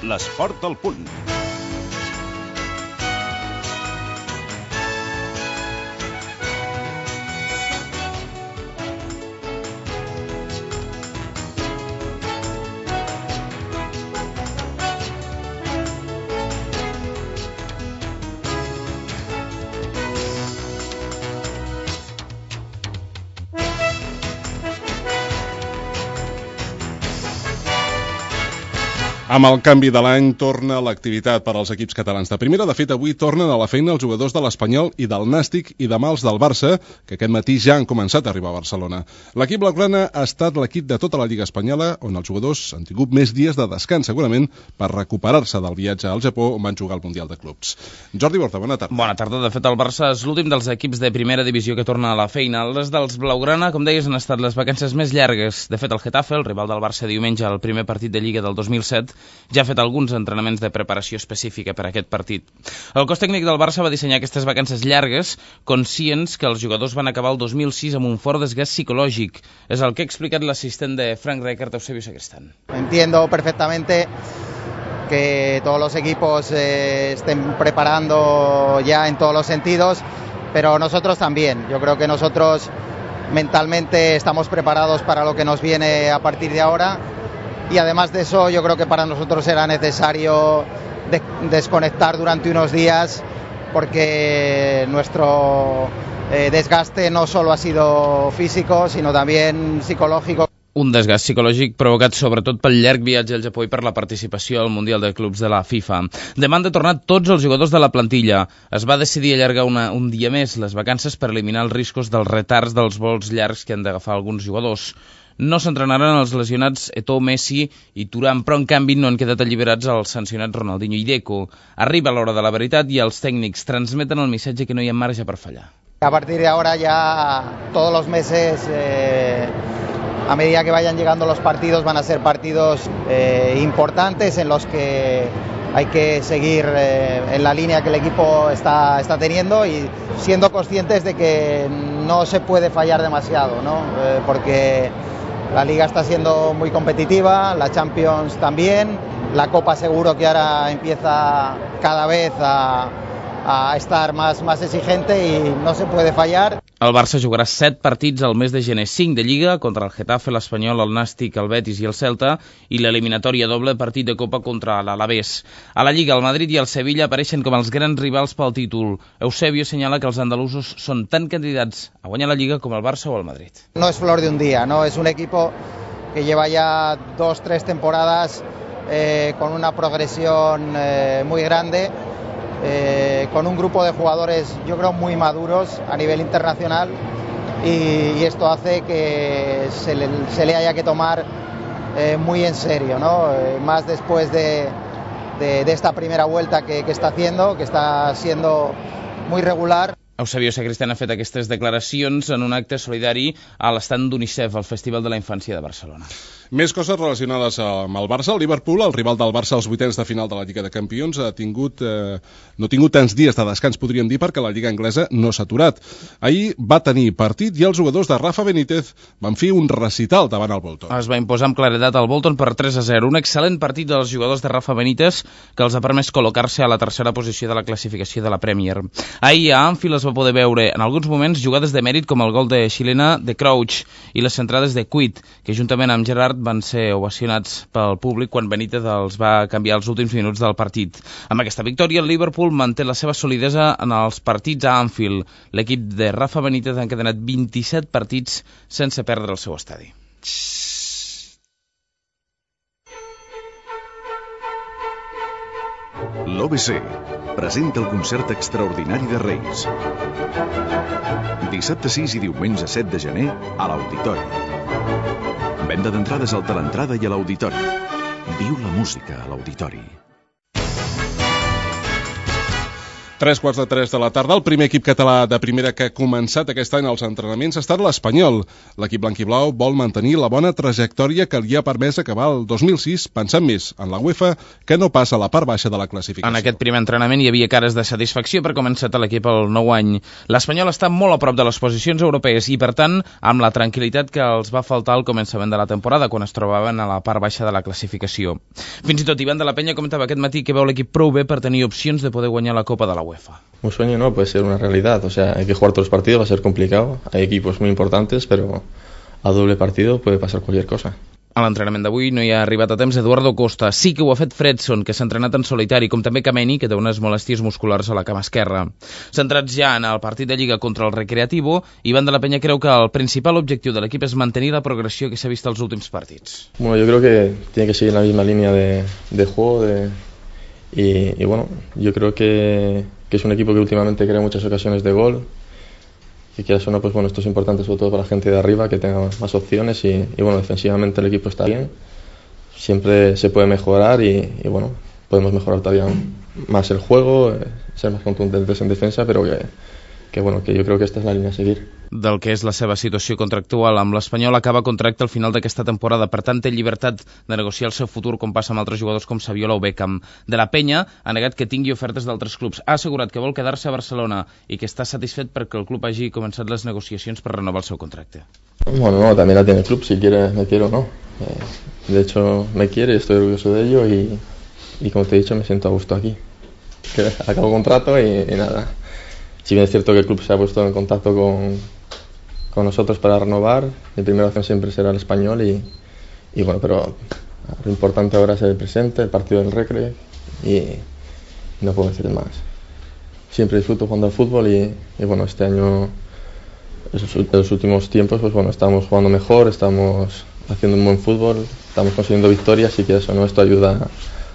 L'esport al punt. Amb el canvi de l'any torna l'activitat per als equips catalans de primera. De fet, avui tornen a la feina els jugadors de l'Espanyol i del Nàstic i demà els del Barça, que aquest matí ja han començat a arribar a Barcelona. L'equip blaugrana ha estat l'equip de tota la Lliga Espanyola on els jugadors han tingut més dies de descans, segurament per recuperar-se del viatge al Japó on van jugar al Mundial de Clubs. Jordi Borta, bona tarda. Bona tarda. De fet, el Barça és l'últim dels equips de primera divisió que torna a la feina. Les dels blaugrana, com deies, han estat les vacances més llargues. De fet, el Getafe, el rival del Barça diumenge al primer partit de Lliga del 2007, ja ha fet alguns entrenaments de preparació específica per a aquest partit. El cos tècnic del Barça va dissenyar aquestes vacances llargues, conscients que els jugadors van acabar el 2006 amb un fort desgast psicològic. És el que ha explicat l'assistent de Frank Rijkaard, Eusebio Sacristán. Entiendo perfectamente que todos los equipos estén preparando ya en todos los sentidos, pero nosotros también. Yo creo que nosotros mentalmente estamos preparados para lo que nos viene a partir de ahora. Y además de eso, yo creo que para nosotros era necesario desconectar durante unos días porque nuestro desgaste no solo ha sido físico, sino también psicológico. Un desgast psicològic provocat sobretot pel llarg viatge al Japó i per la participació al Mundial de Clubs de la FIFA. Demà han de tornar tots els jugadors de la plantilla. Es va decidir allargar un dia més les vacances per eliminar els riscos dels retards dels vols llargs que han d'agafar alguns jugadors. No s'entrenaran els lesionats Eto'o, Messi i Thuram, però en canvi no han quedat alliberats els sancionats Ronaldinho i Deco. Arriba l'hora de la veritat i els tècnics transmeten el missatge que no hi ha marge per fallar. A partir de ahora ya todos los meses, a medida que vayan llegando los partidos, van a ser partidos importantes en los que hay que seguir en la línea que el equipo está teniendo y siendo conscientes de que no se puede fallar demasiado, ¿no? Porque la Liga está siendo muy competitiva, la Champions también, la Copa seguro que ahora empieza cada vez a estar más exigente y no se puede fallar. El Barça jugarà 7 partits al mes de gener, 5 de Lliga contra el Getafe, l'Espanyol, el Nàstic, el Betis i el Celta i l'eliminatòria doble partit de Copa contra l'Alavés. A la Lliga, el Madrid i el Sevilla apareixen com els grans rivals pel títol. Eusebio senyala que els andalusos són tan candidats a guanyar la Lliga com el Barça o el Madrid. No es flor de un día, ¿no? Es un equipo que lleva ya 2-3 temporadas con una progresión muy grande. Con un grupo de jugadores yo creo muy maduros a nivel internacional y esto hace que se le haya que tomar muy en serio, ¿no? Más después de esta primera vuelta que está haciendo, que está siendo muy regular. Eusebio Sacristán ha fet aquestes declaracions en un acte solidari a l'estand d'UNICEF, al Festival de la Infància de Barcelona. Més coses relacionades amb el Barça. El Liverpool, el rival del Barça als vuitens de final de la Lliga de Campions, no ha tingut tants dies de descans, podríem dir, perquè la Lliga anglesa no s'ha aturat. Ahir va tenir partit i els jugadors de Rafa Benítez van fer un recital davant el Bolton. Es va imposar amb claredat al Bolton per 3-0. Un excel·lent partit dels jugadors de Rafa Benítez que els ha permès col·locar-se a la tercera posició de la classificació de la Premier. Ahir a Anfield es va poder veure en alguns moments jugades de mèrit com el gol de xilena de Crouch i les centrades de Cuit, que juntament amb Gerrard van ser ovacionats pel públic quan Benítez els va canviar els últims minuts del partit. Amb aquesta victòria, el Liverpool manté la seva solidesa en els partits a Anfield. L'equip de Rafa Benítez ha encadenat 27 partits sense perdre el seu estadi. L'OBC presenta el concert extraordinari de Reis. Dissabte 6 i diumenge 7 de gener a l'Auditori. Venda d'entrades al Teleentrada i a l'Auditori. Viu la música a l'Auditori. 3:45 de la tarda. El primer equip català de primera que ha començat aquest any els entrenaments ha estat l'Espanyol. L'equip blanquiblau vol mantenir la bona trajectòria que li ha permès acabar el 2006 pensant més en la UEFA que no pas a la part baixa de la classificació. En aquest primer entrenament hi havia cares de satisfacció per començar l'equip el nou any. L'Espanyol està molt a prop de les posicions europees i, per tant, amb la tranquil·litat que els va faltar al començament de la temporada, quan es trobaven a la part baixa de la classificació. Fins i tot Ivan de la Peña comentava aquest matí que veu l'equip prou bé per tenir opcions de poder guanyar la Copa de la UEFA. Un sueño no, puede ser una realidad, o sea, hay que jugar todos los partidos, va a ser complicado, hay equipos muy importantes, pero a doble partido puede pasar cualquier cosa. A l'entrenament d'avui no hi ha arribat a temps Eduardo Costa, sí que ho ha fet Fredson, que s'ha entrenat en solitari, com també Kameni, que té unes molèsties musculars a la cama esquerra. Centrats ja en el partit de Lliga contra el Recreativo, Ivan de la Peña creu que el principal objectiu de l'equip és mantenir la progressió que s'ha vist als últims partits. Bueno, yo creo que tiene que seguir la misma línea de juego, y bueno, yo creo que es un equipo que últimamente crea muchas ocasiones de gol, que quieras o no, pues bueno, esto es importante sobre todo para la gente de arriba, que tenga más opciones y bueno, defensivamente el equipo está bien, siempre se puede mejorar y bueno, podemos mejorar todavía más el juego, ser más contundentes en defensa, pero que bueno, que yo creo que esta es la línea a seguir. Del que és la seva situació contractual amb l'Espanyol, acaba contracte al final d'aquesta temporada, per tant té llibertat de negociar el seu futur com passa amb altres jugadors com Saviola o Beckham. De la Peña ha negat que tingui ofertes d'altres clubs, ha assegurat que vol quedar-se a Barcelona i que està satisfet perquè el club hagi començat les negociacions per renovar el seu contracte. Bueno, no, también la tiene el club, si quiere me quiere o no. De hecho me quiere, estoy orgulloso de ello y como te he dicho me siento a gusto aquí. Que acabo contrato y nada. Si bien es cierto que el club se ha puesto en contacto con nosotros para renovar, mi primera opción siempre será el Español y bueno, pero lo importante ahora es el presente, el partido del Recre y no puedo decir más. Siempre disfruto jugando al fútbol y bueno, este año, en los últimos tiempos, pues bueno, estamos jugando mejor, estamos haciendo un buen fútbol, estamos consiguiendo victorias y que eso, ¿no? Esto ayuda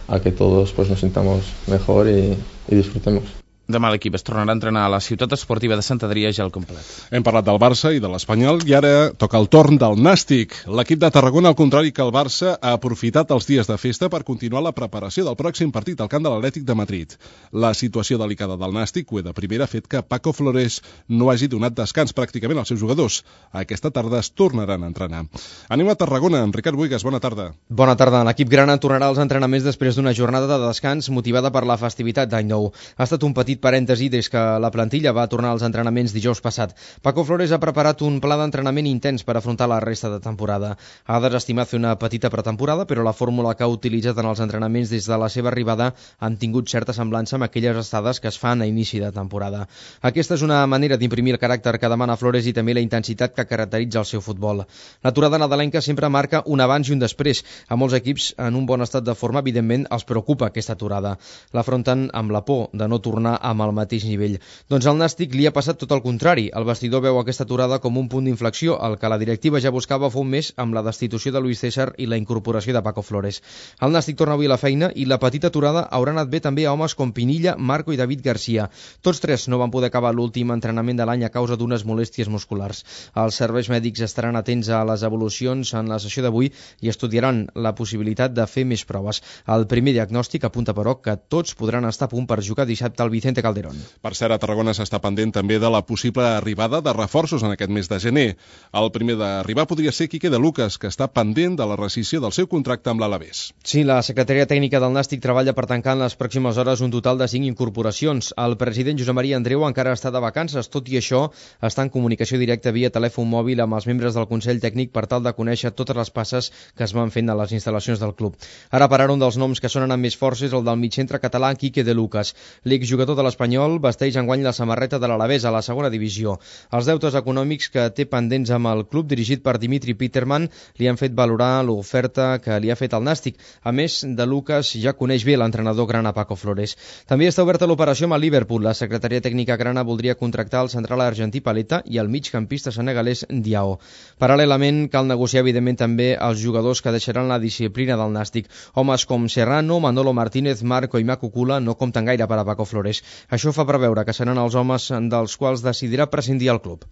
a que todos pues nos sintamos mejor y disfrutemos. Demà l'equip es tornarà a entrenar a la ciutat esportiva de Sant Adrià ja al complet. Hem parlat del Barça i de l'Espanyol i ara toca el torn del Nàstic. L'equip de Tarragona, al contrari que el Barça, ha aprofitat els dies de festa per continuar la preparació del pròxim partit al camp de l'Atlètic de Madrid. La situació delicada del Nàstic, de primera, ha fet que Paco Flores no hagi donat descans pràcticament als seus jugadors. Aquesta tarda es tornaran a entrenar. Anem a Tarragona, amb Ricard Buigas, bona tarda. Bona tarda. L'equip grana tornarà als entrenaments després d'una jornada de descans motivada per la festivitat d'Any Nou. Ha estat un petit parèntesi des que la plantilla va tornar als entrenaments dijous passat. Paco Flores ha preparat un pla d'entrenament intens per afrontar la resta de temporada. Ha desestimat fer una petita pretemporada, però la fórmula que ha utilitzat en els entrenaments des de la seva arribada han tingut certa semblança amb aquelles estades que es fan a inici de temporada. Aquesta és una manera d'imprimir el caràcter que demana Flores i també la intensitat que caracteritza el seu futbol. L'aturada nadalenca sempre marca un abans i un després. A molts equips en un bon estat de forma, evidentment, els preocupa aquesta aturada. L'afronten amb la por de no tornar amb el mateix nivell. Doncs al Nàstic li ha passat tot el contrari. El vestidor veu aquesta aturada com un punt d'inflexió, el que la directiva ja buscava fa un mes amb la destitució de Luis César i la incorporació de Paco Flores. El Nàstic torna avui a la feina i la petita aturada haurà anat bé també a homes com Pinilla, Marco i David Garcia. Tots tres no van poder acabar l'últim entrenament de l'any a causa d'unes molèsties musculars. Els serveis mèdics estaran atents a les evolucions en la sessió d'avui i estudiaran la possibilitat de fer més proves. El primer diagnòstic apunta, però, que tots podran estar a punt per jugar dissabte al Vicente Calderón. Per cert, a Tarragona s'està pendent també de la possible arribada de reforços en aquest mes de gener. El primer d'arribar podria ser Quique de Lucas, que està pendent de la rescissió del seu contracte amb l'Alavés. Sí, la secretaria tècnica del Nàstic treballa per tancar en les pròximes hores un total de 5 incorporacions. El president Josep Maria Andreu encara està de vacances, tot i això està en comunicació directa via telèfon mòbil amb els membres del Consell Tècnic per tal de conèixer totes les passes que es van fent a les instal·lacions del club. Ara per ara un dels noms que sonen amb més força és el del mitjcentre català Quique de Lucas. L'exjugador de l'Espanyol vesteix enguany la samarreta de l'Alavés a la segona divisió. Els deutes econòmics que té pendents amb el club dirigit per Dimitri Peterman li han fet valorar l'oferta que li ha fet el Nàstic. A més, de Lucas ja coneix bé l'entrenador grana Paco Flores. També està oberta l'operació amb el Liverpool. La secretaria tècnica grana voldria contractar el central argentí Paleta i el migcampista senegalès Diao. Paral·lelament, cal negociar evidentment també els jugadors que deixaran la disciplina del Nàstic. Homes com Serrano, Manolo Martínez, Marco i Macucula no compten gaire per a Paco Flores. Això fa preveure que seran els homes dels quals decidirà prescindir el club.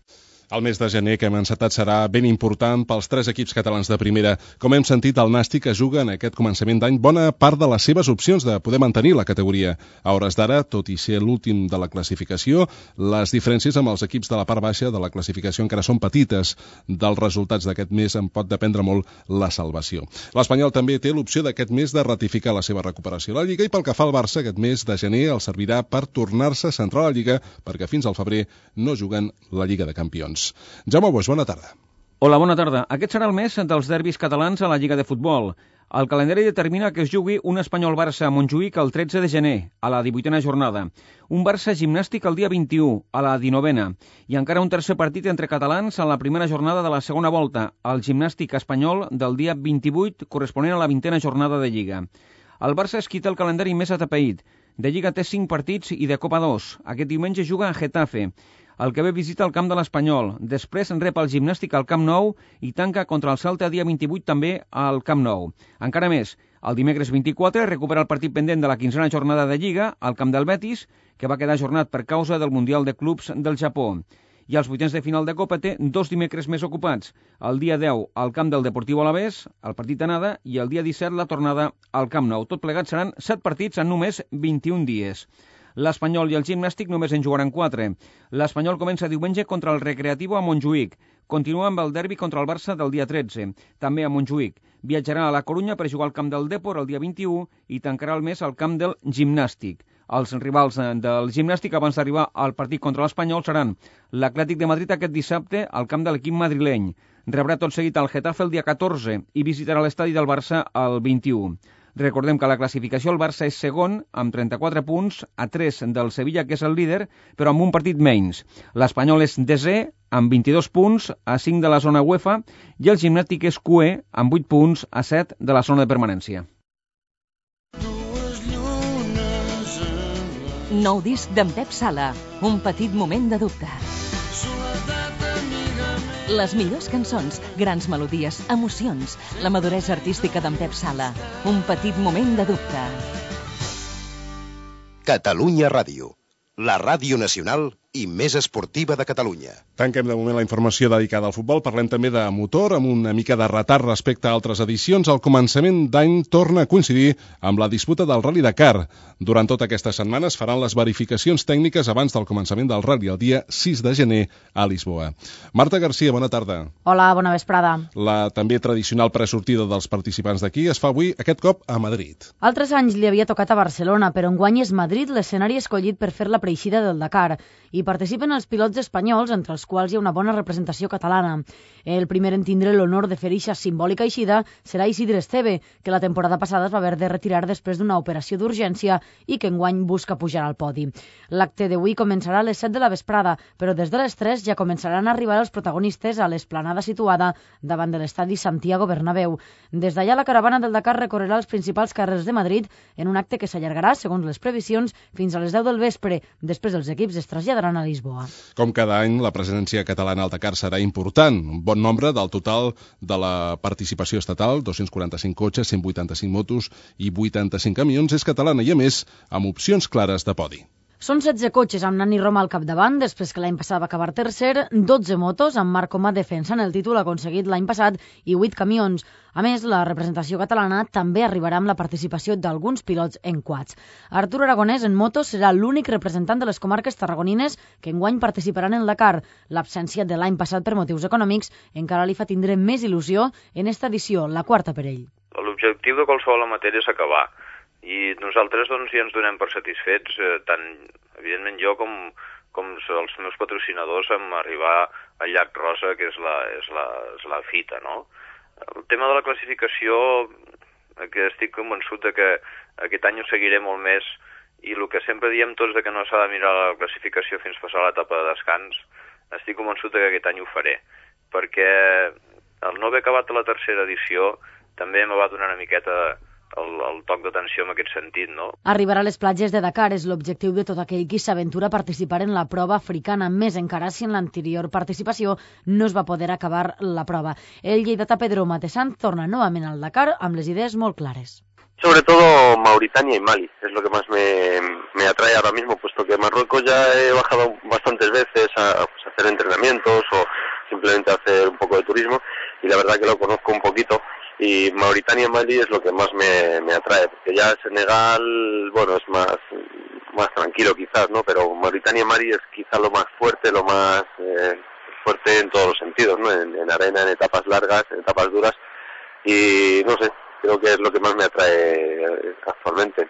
El mes de gener que hem encetat serà ben important pels 3 equips catalans de primera. Com hem sentit, el Nàstic es juga en aquest començament d'any bona part de les seves opcions de poder mantenir la categoria. A hores d'ara, tot i ser l'últim de la classificació, les diferències amb els equips de la part baixa de la classificació encara són petites. Dels resultats d'aquest mes en pot dependre molt la salvació. L'Espanyol també té l'opció d'aquest mes de ratificar la seva recuperació a la Lliga i pel que fa al Barça, aquest mes de gener el servirà per tornar-se a centrar a la Lliga perquè fins al febrer no juguen la Lliga de Campions. Jaume Boix, bona tarda. Hola, bona tarda. Aquest serà el mes dels derbis catalans a la Lliga de Futbol. El calendari determina que es jugui un Espanyol-Barça a Montjuïc el 13 de gener, a la 18a jornada. Un Barça-Gimnàstic el dia 21, a la 19a. I encara un tercer partit entre catalans a la primera jornada de la segona volta, el Gimnàstic espanyol del dia 28, corresponent a la 20a jornada de Lliga. El Barça es quita el calendari més atapeït. De Lliga té 5 partits i de Copa 2. Aquest diumenge juga a Getafe. El que ve visita el camp de l'Espanyol. Després rep el Gimnàstic al Camp Nou i tanca contra el Celta dia 28 també al Camp Nou. Encara més, el dimecres 24 recupera el partit pendent de la 15a jornada de Lliga al camp del Betis, que va quedar ajornat per causa del Mundial de Clubs del Japó. I als vuitens de final de Copa té 2 dimecres més ocupats. El dia 10 al camp del Deportiu Alavés, el partit d'anada, i el dia 17 la tornada al Camp Nou. Tot plegat seran 7 partits en només 21 dies. L'Espanyol i el Gimnàstic només en jugaran 4. L'Espanyol comença diumenge contra el Recreativo a Montjuïc. Continua amb el derbi contra el Barça del dia 13, també a Montjuïc. Viatjarà a la Corunya per jugar al camp del Depor el dia 21 i tancarà el mes al camp del Gimnàstic. Els rivals del Gimnàstic abans d'arribar al partit contra l'Espanyol seran l'Atlètic de Madrid aquest dissabte al camp de l'equip madrileny. Rebrà tot seguit el Getafe el dia 14 i visitarà l'estadi del Barça el 21. Recordem que a la classificació el Barça és segon amb 34 punts, a 3 del Sevilla, que és el líder, però amb un partit menys. L'Espanyol és desè amb 22 punts, a 5 de la zona UEFA, i el Gimnàstic és cuer amb 8 punts, a 7 de la zona de permanència. Nou disc d'en Pep Sala, un petit moment de dubte. Les millors cançons, grans melodies, emocions, la maduresa artística d'en Pep Sala, un petit moment de dubte. Catalunya Ràdio, la ràdio nacional i més esportiva de Catalunya. Tanquem de moment la informació dedicada al futbol. Parlem també de motor, amb una mica de retard respecte a altres edicions. El començament d'any torna a coincidir amb la disputa del Rally Dakar. Durant tota aquesta setmana es faran les verificacions tècniques abans del començament del Rally, el dia 6 de gener a Lisboa. Marta Garcia, bona tarda. Hola, bona vesprada. La també tradicional presortida dels participants d'aquí es fa avui, aquest cop, a Madrid. Altres anys li havia tocat a Barcelona, però enguany és Madrid l'escenari escollit per fer la preixida del Dakar. Hi participen els pilots espanyols, entre els quals hi ha una bona representació catalana. El primer en tindre l'honor de fer eixa simbòlica eixida serà Isidre Esteve, que la temporada passada es va haver de retirar després d'una operació d'urgència i que enguany busca pujar al podi. L'acte d'avui començarà a les 7 de la vesprada, però des de les 3 ja començaran a arribar els protagonistes a l'esplanada situada davant de l'estadi Santiago Bernabéu. Des d'allà la caravana del Dakar recorrerà els principals carrers de Madrid en un acte que s'allargarà, segons les previsions, fins a les 10 del vespre. Després els equips es traslladaran a Lisboa. Com cada any, la presència catalana al Dakar serà important. Un bon nombre del total de la participació estatal, 245 cotxes, 185 motos i 85 camions, és catalana i, a més, amb opcions clares de podi. Són 16 cotxes amb Nani Roma al capdavant, després que l'any passat va acabar tercer, 12 motos amb Marc Comà defensant el títol aconseguit l'any passat i 8 camions. A més, la representació catalana també arribarà amb la participació d'alguns pilots en quads. Artur Aragonès en moto serà l'únic representant de les comarques tarragonines que enguany participaran en Dakar. L'absència de l'any passat per motius econòmics encara li fa tindre més il·lusió en esta edició, la quarta per ell. L'objectiu de qualsevol amateur és acabar. I nosaltres doncs, ja ens donem per satisfets, tant evidentment jo com els meus patrocinadors, amb arribar al Llac Rosa, que és la fita, no? El tema de la classificació, que estic convençut de que aquest any ho seguiré molt més, i el que sempre diem tots de que no s'ha de mirar la classificació fins passar l'etapa de descans, estic convençut de que aquest any ho faré, perquè el no haver acabat la tercera edició també me va donar una miqueta el toc d'atenció en aquest sentit, no? Arribar a les platges de Dakar és l'objectiu de tot aquell qui s'aventura a participar en la prova africana, més encara si en l'anterior participació no es va poder acabar la prova. El lleidatà Pedro Matessant torna novament al Dakar amb les idees molt clares. Sobre todo Mauritania y Mali, es lo que más me atrae ahora mismo, puesto que Marruecos ya he bajado bastantes veces a hacer entrenamientos o simplemente a hacer un poco de turismo, y la verdad que lo conozco un poquito, y Mauritania y Mali es lo que más me atrae, porque ya Senegal, bueno, es más tranquilo quizás, ¿no? Pero Mauritania y Mali es quizás lo más fuerte, lo más fuerte en todos los sentidos, ¿no? En arena, en etapas largas, en etapas duras, y no sé, creo que es lo que más me atrae actualmente.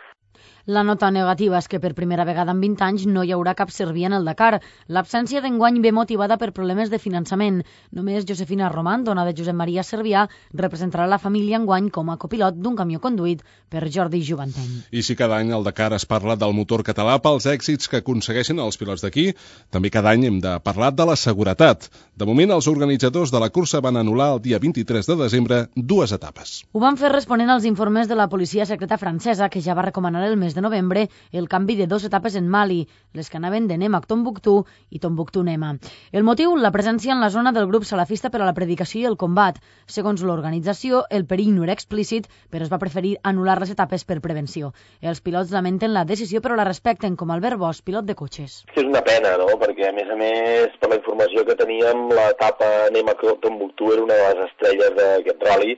La nota negativa és que per primera vegada en 20 anys no hi haurà cap serbia en el Dakar. L'absència d'enguany ve motivada per problemes de finançament. Només Josefina Roman, dona de Josep Maria Servià, representarà la família enguany com a copilot d'un camió conduït per Jordi Juvanteny. I si cada any al Dakar es parla del motor català pels èxits que aconsegueixen els pilots d'aquí, també cada any hem de parlar de la seguretat. De moment, els organitzadors de la cursa van anul·lar el dia 23 de desembre 2 etapes. Ho van fer responent als informes de la policia secreta francesa, que ja va recomanar el mes de novembre el canvi de 2 etapes en Mali, les que anaven de Nema-Tombouctou i Tombouctou-Nema. El motiu, la presència en la zona del grup salafista per a la predicació i el combat. Segons l'organització, el perill no era explícit, però es va preferir anul·lar les etapes per prevenció. Els pilots lamenten la decisió, però la respecten, com Albert Bosch, pilot de cotxes. És una pena, no?, perquè a més, per la informació que teníem, l'etapa Nema-Tombouctou era una de les estrelles d'aquest rally.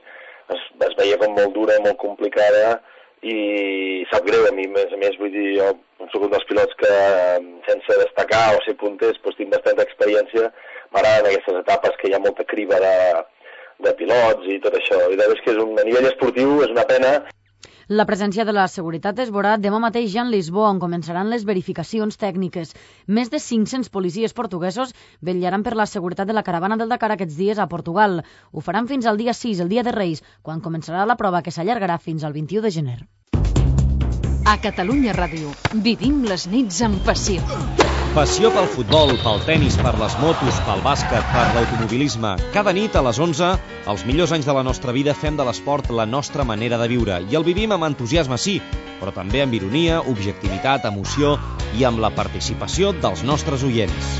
Es veia com molt dura, molt complicada, i sap greu a mi, a més, vull dir, jo soc un dels pilots que sense destacar o ser punters doncs tinc bastanta experiència, m'agraden aquestes etapes que hi ha molta criba de pilots i tot això, i la veritat és que a nivell esportiu és una pena. La presència de la seguretat es veurà demà mateix ja en Lisboa, on començaran les verificacions tècniques. Més de 500 policies portuguesos vetllaran per la seguretat de la caravana del Dakar aquests dies a Portugal. Ho faran fins al dia 6, el dia de Reis, quan començarà la prova que s'allargarà fins al 21 de gener. A Catalunya Ràdio vivim les nits amb passió. Passió pel futbol, pel tenis, per les motos, pel bàsquet, per l'automobilisme. Cada nit a les 11, els millors anys de la nostra vida, fem de l'esport la nostra manera de viure. I el vivim amb entusiasme, sí, però també amb ironia, objectivitat, emoció i amb la participació dels nostres oients.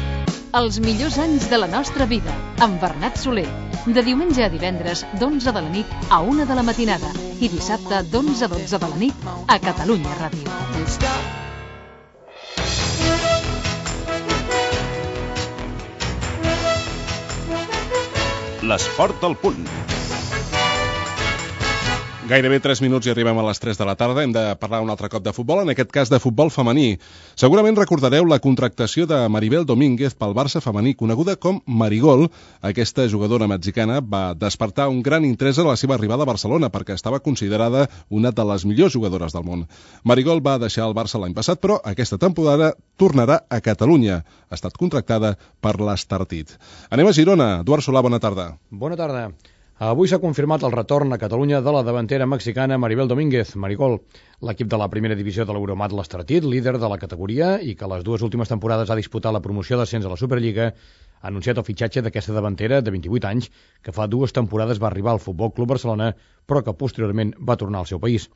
Els millors anys de la nostra vida, amb Bernat Soler. De diumenge a divendres, d'11 de la nit a 1 de la matinada. I dissabte, d'11 a 12 de la nit, a Catalunya Ràdio. L'esport al punt. Gairebé 3 minuts i arribem a les 3 de la tarda. Hem de parlar un altre cop de futbol, en aquest cas de futbol femení. Segurament recordareu la contractació de Maribel Domínguez pel Barça femení, coneguda com Marigol. Aquesta jugadora mexicana va despertar un gran interès a la seva arribada a Barcelona perquè estava considerada una de les millors jugadores del món. Marigol va deixar el Barça l'any passat, però aquesta temporada tornarà a Catalunya. Ha estat contractada per l'Estartit. Anem a Girona. Eduard Solà, bona tarda. Bona tarda. Avui s'ha confirmat el retorn a Catalunya de la davantera mexicana Maribel Domínguez, Marigol. L'equip de la primera divisió de l'Euromat l'Estartit, líder de la categoria i que les 2 últimes temporades ha disputat la promoció d'ascens a la Superliga, ha anunciat el fitxatge d'aquesta davantera de 28 anys que fa 2 temporades va arribar al Futbol Club Barcelona però que posteriorment va tornar al seu país.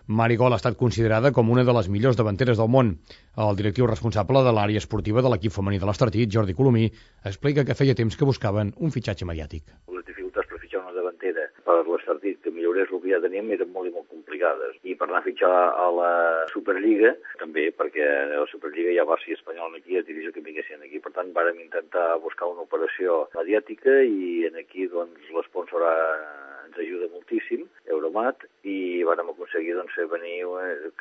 Marigol ha estat considerada com una de les millors davanteres del món. El directiu responsable de l'àrea esportiva de l'equip femení de l'Estartit, Jordi Colomí, explica que feia temps que buscaven un fitxatge mediàtic. Les dificultats per fitxar una davantera per l'Estartit, que millorés el que ja teníem, eren molt i molt complicades. I per anar a fitxar a la Superliga, també, perquè a la Superliga hi ha Barça i Espanyol aquí, és difícil que vinguessin aquí. Per tant, vàrem intentar buscar una operació mediàtica i aquí doncs, l'esponsor ens ajuda moltíssim, Euromat, i vam aconseguir doncs, venir,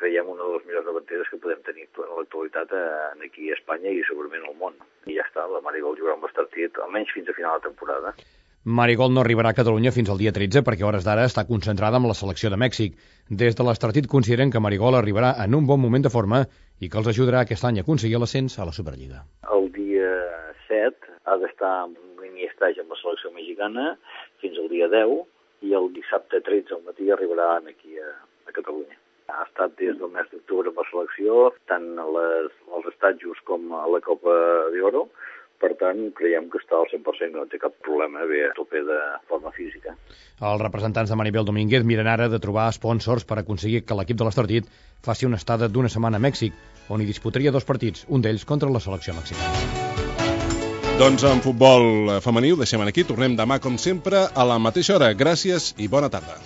creiem, una de les millors davanteres que podem tenir en l'actualitat aquí a Espanya i segurament al món. I ja està, la Marigol jugarà amb l'Estartit, almenys fins a final de temporada. Marigol no arribarà a Catalunya fins al dia 13 perquè a hores d'ara està concentrada amb la selecció de Mèxic. Des de l'Estartit consideren que Marigol arribarà en un bon moment de forma i que els ajudarà aquest any a aconseguir l'ascens a la Superliga. El dia 7 ha d'estar en un mini estatge amb la selecció mexicana fins al dia 10 i el dissabte 13 al matí arribarà aquí a Catalunya. Ha estat des del mes d'octubre amb la selecció, tant als estatjos com a la Copa d'Oro. Per tant, creiem que està al 100%, no té cap problema bé a tope de forma física. Els representants de Maribel Domínguez miren ara de trobar sponsors per aconseguir que l'equip de l'Estartit faci una estada d'1 setmana a Mèxic, on hi disputaria 2 partits, un d'ells contra la selecció mexicana. Doncs en futbol femení ho deixem aquí, tornem demà com sempre a la mateixa hora. Gràcies i bona tarda.